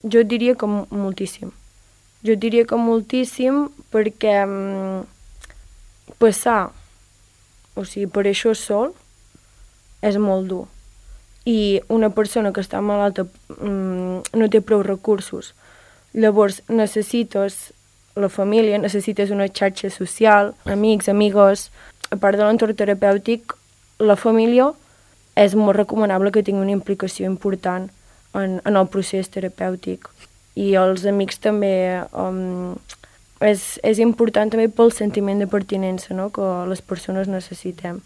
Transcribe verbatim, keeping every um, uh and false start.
Jo diria que moltíssim. Jo diria que moltíssim perquè um, passar, o sigui, per això sol, és molt dur. I una persona que està malalta um, no té prou recursos. Llavors necessites la família, necessites una xarxa social, amics, amigues. A part de l'entorn terapèutic, la família és molt recomanable que tingui una implicació important en, en el procés terapèutic. I els amics també um, és, és important també pel sentiment de pertinença, no?, que les persones necessitem.